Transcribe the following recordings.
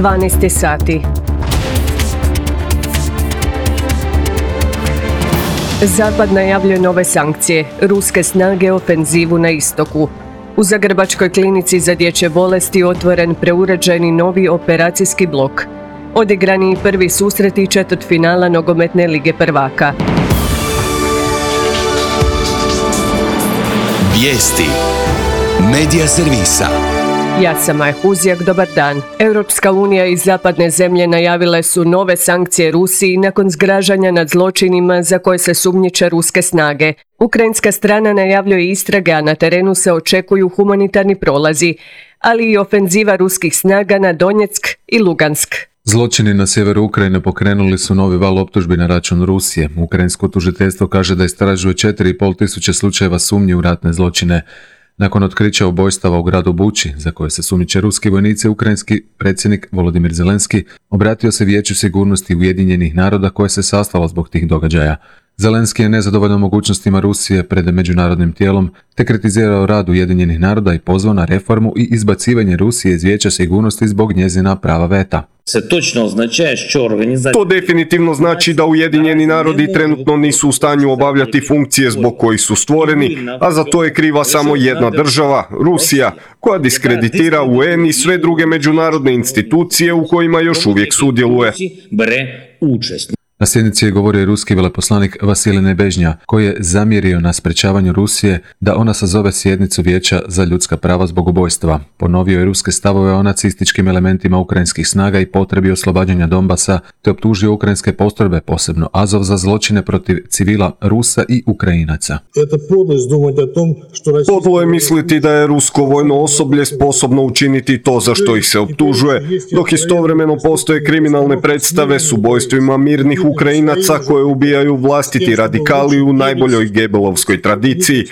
12 sati. Zapad najavljuje nove sankcije, ruske snage ofenzivu na istoku. U Zagrebačkoj klinici za dječje bolesti otvoren preuređeni novi operacijski blok. Odigrani prvi susreti četvrtfinala nogometne lige prvaka. Vijesti Medija servisa. Ja sam Maja Huzjak, dobar dan. Europska unija i zapadne zemlje najavile su nove sankcije Rusiji nakon zgražanja nad zločinima za koje se sumnjiče ruske snage. Ukrajinska strana najavljuje istrage, a na terenu se očekuju humanitarni prolazi, ali i ofenziva ruskih snaga na Donjeck i Lugansk. Zločini na sjeveru Ukrajine pokrenuli su novi val optužbi na račun Rusije. Ukrajinsko tužiteljstvo kaže da istražuje 4.500 slučajeva sumnji u ratne zločine. Nakon otkrića ubojstava u gradu Buči, za koje se sumnjiče ruski vojnici, ukrajinski predsjednik Volodimir Zelenski obratio se Vijeću sigurnosti Ujedinjenih naroda koje se sastalo zbog tih događaja. Zelenski je nezadovoljan mogućnostima Rusije pred međunarodnim tijelom, te kritizirao rad Ujedinjenih naroda i pozvao na reformu i izbacivanje Rusije iz Vijeća sigurnosti zbog njezina prava veta. To definitivno znači da Ujedinjeni narodi trenutno nisu u stanju obavljati funkcije zbog kojih su stvoreni, a za to je kriva samo jedna država, Rusija, koja diskreditira UN i sve druge međunarodne institucije u kojima još uvijek sudjeluje. Na sjednici je govorio ruski veleposlanik Vasilij Nebežnja, koji je zamjerio na sprečavanju Rusije da ona sazove sjednicu Vijeća za ljudska prava zbog ubojstva. Ponovio je ruske stavove o nacističkim elementima ukrajinskih snaga i potrebi oslobađanja Donbasa, te optužio ukrajinske postrojbe, posebno Azov, za zločine protiv civila Rusa i Ukrajinaca. Podlo je misliti da je rusko vojno osoblje sposobno učiniti to za što ih se optužuje, dok istovremeno postoje kriminalne predstave s ubojstvima mirnih Ukrajinaca koje ubijaju vlastiti radikali u najboljoj Gebelovskoj tradiciji.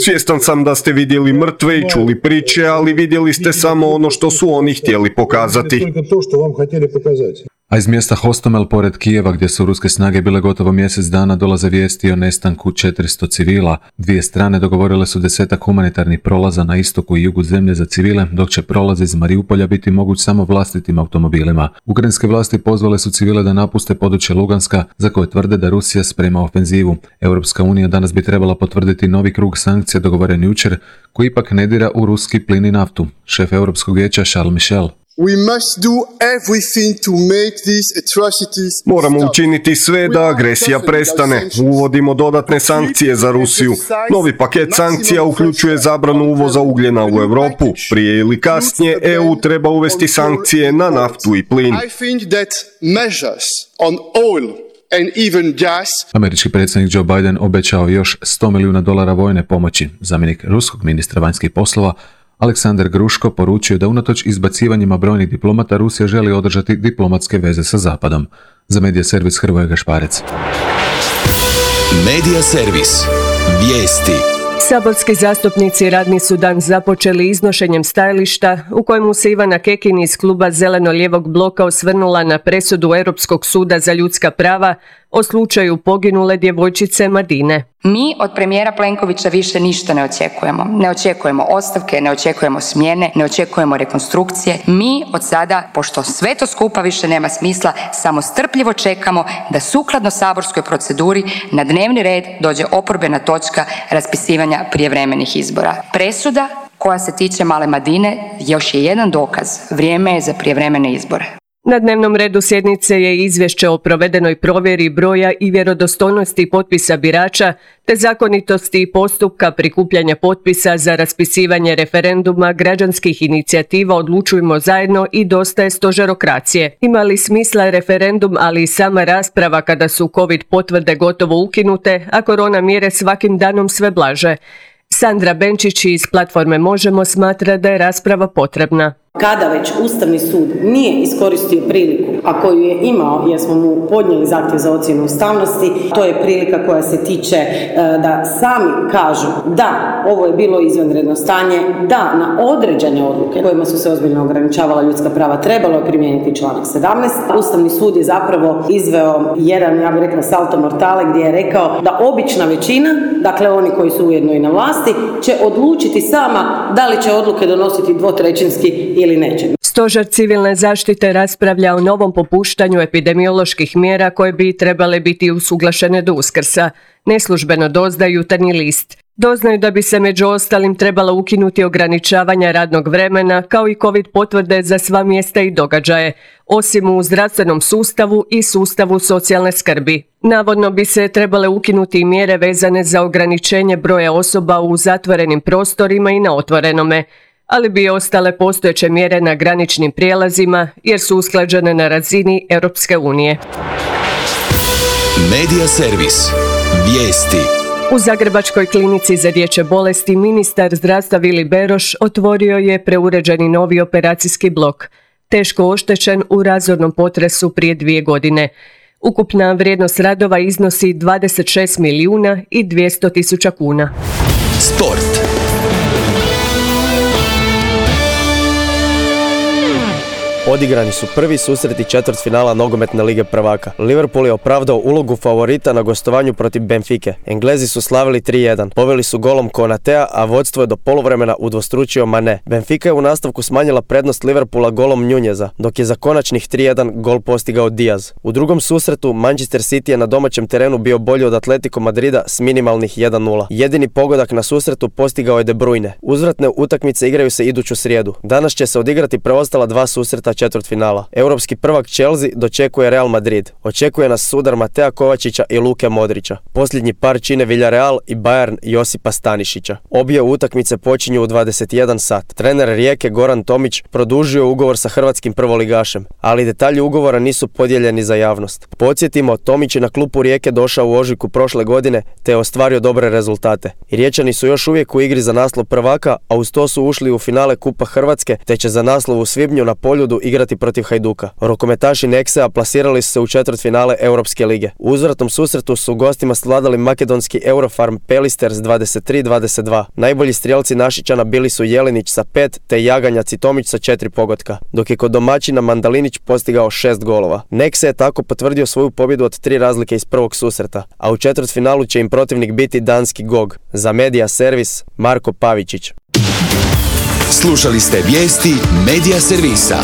Svjestan sam da ste vidjeli mrtve i čuli priče, ali vidjeli ste samo ono što su oni htjeli pokazati. A iz mjesta Hostomel pored Kijeva, gdje su ruske snage bile gotovo mjesec dana, dolaze vijesti o nestanku 400 civila. Dvije strane dogovorile su 10 humanitarnih prolaza na istoku i jugu zemlje za civile, dok će prolaz iz Mariupolja biti moguć samo vlastitim automobilima. Ukrajinske vlasti pozvale su civile da napuste područje Luganska, za koje tvrde da Rusija sprema ofenzivu. Europska unija danas bi trebala potvrditi novi krug sankcija dogovoren jučer, koji ipak ne dira u ruski plin i naftu. Šef Europskog vijeća Charles Michel. Moramo učiniti sve da agresija prestane. Uvodimo dodatne sankcije za Rusiju. Novi paket sankcija uključuje zabranu uvoza ugljena u Europu. Prije ili kasnije EU treba uvesti sankcije na naftu i plin. Američki predsjednik Joe Biden obećao još $100 milijuna vojne pomoći. Zamjenik ruskog ministra vanjskih poslova Aleksandar Gruško poručio da unatoč izbacivanjima brojnih diplomata Rusija želi održati diplomatske veze sa Zapadom. Za Medija servis Hrvoje Gašparec. Medija servis. Vijesti. Saborski zastupnici radni su dan započeli iznošenjem stajališta u kojemu se Ivana Kekin iz kluba Zeleno-lijevog bloka osvrnula na presudu Europskog suda za ljudska prava o slučaju poginule djevojčice Madine. Mi od premijera Plenkovića više ništa ne očekujemo. Ne očekujemo ostavke, ne očekujemo smjene, ne očekujemo rekonstrukcije. Mi od sada, pošto sve to skupa više nema smisla, samo strpljivo čekamo da sukladno saborskoj proceduri na dnevni red dođe oporbena točka raspisivanja prijevremenih izbora. Presuda koja se tiče male Madine još je jedan dokaz. Vrijeme je za prijevremene izbore. Na dnevnom redu sjednice je izvješće o provedenoj provjeri broja i vjerodostojnosti potpisa birača te zakonitosti postupka prikupljanja potpisa za raspisivanje referenduma građanskih inicijativa Odlučujmo zajedno i Dosta je stožerokracije. Ima li smisla referendum, ali i sama rasprava kada su COVID potvrde gotovo ukinute, a korona mjere svakim danom sve blaže? Sandra Benčić iz platforme Možemo smatra da je rasprava potrebna. Kada već Ustavni sud nije iskoristio priliku, a koju je imao jer smo mu podnijeli zahtjev za ocjenu ustavnosti, to je prilika koja se tiče da sami kažu da ovo je bilo izvanredno stanje, da na određene odluke kojima su se ozbiljno ograničavala ljudska prava trebalo je primijeniti članak 17. Ustavni sud je zapravo izveo jedan, ja bih rekla, salto mortale gdje je rekao da obična većina, dakle oni koji su ujedno i na vlasti, će odlučiti sama da li će odluke donositi dvotrećinski ili neće. Stožer civilne zaštite raspravlja o novom popuštanju epidemioloških mjera koje bi trebale biti usuglašene do Uskrsa. Neslužbeno doznaje Jutarnji list. Doznaju da bi se među ostalim trebala ukinuti ograničavanja radnog vremena kao i COVID potvrde za sva mjesta i događaje, osim u zdravstvenom sustavu i sustavu socijalne skrbi. Navodno bi se trebale ukinuti i mjere vezane za ograničenje broja osoba u zatvorenim prostorima i na otvorenome, ali bi ostale postojeće mjere na graničnim prijelazima jer su usklađene na razini Europske unije. Medija servis. Vijesti. U Zagrebačkoj klinici za dječje bolesti ministar zdravstva Vili Beroš otvorio je preuređeni novi operacijski blok, teško oštećen u razornom potresu prije 2 godine. Ukupna vrijednost radova iznosi 26 milijuna i 200 tisuća kuna. Sport. Odigrani su prvi susreti četvrtfinala nogometne lige prvaka. Liverpool je opravdao ulogu favorita na gostovanju protiv Benfike. Englezi su slavili 3-1. Poveli su golom Konatea, a vodstvo je do poluvremena udvostručio Mane. Benfica je u nastavku smanjila prednost Liverpoola golom Nunjeza, dok je za konačnih 3-1 gol postigao Diaz. U drugom susretu Manchester City je na domaćem terenu bio bolji od Atletico Madrida s minimalnih 1-0. Jedini pogodak na susretu postigao je De Bruyne. Uzvratne utakmice igraju se iduću srijedu. Danas će se odigrati preostala 2 susreta četvrtfinala. Europski prvak Chelsea dočekuje Real Madrid. Očekuje nas sudar Matea Kovačića i Luke Modrića. Posljednji par čine Villarreal i Bayern Josipa Stanišića. Obje utakmice počinju u 21 sat. Trener Rijeke Goran Tomić produžio ugovor sa hrvatskim prvoligašem, ali detalji ugovora nisu podijeljeni za javnost. Podsjetimo, Tomić je na klupu Rijeke došao u ožujku prošle godine te je ostvario dobre rezultate. I Riječani su još uvijek u igri za naslov prvaka, a uz to su ušli u finale Kupa Hrvatske te će za naslov u svibnju na Poljudu igrati protiv Hajduka. Rokometaši Nexea plasirali su se u četvrtfinale Europske lige. U uzvratnom susretu su gostima svladali makedonski Eurofarm Pelisters 23-22. Najbolji strijelci Našičana bili su Jelinić sa 5 te Jaganjac i Tomić sa 4 pogotka, dok je kod domaćina Mandalinić postigao 6 golova. Nexe je tako potvrdio svoju pobjedu od 3 razlike iz prvog susreta, a u četvrtfinalu će im protivnik biti danski GOG. Za Medija servis Marko Pavičić. Slušali ste vijesti Medija servisa.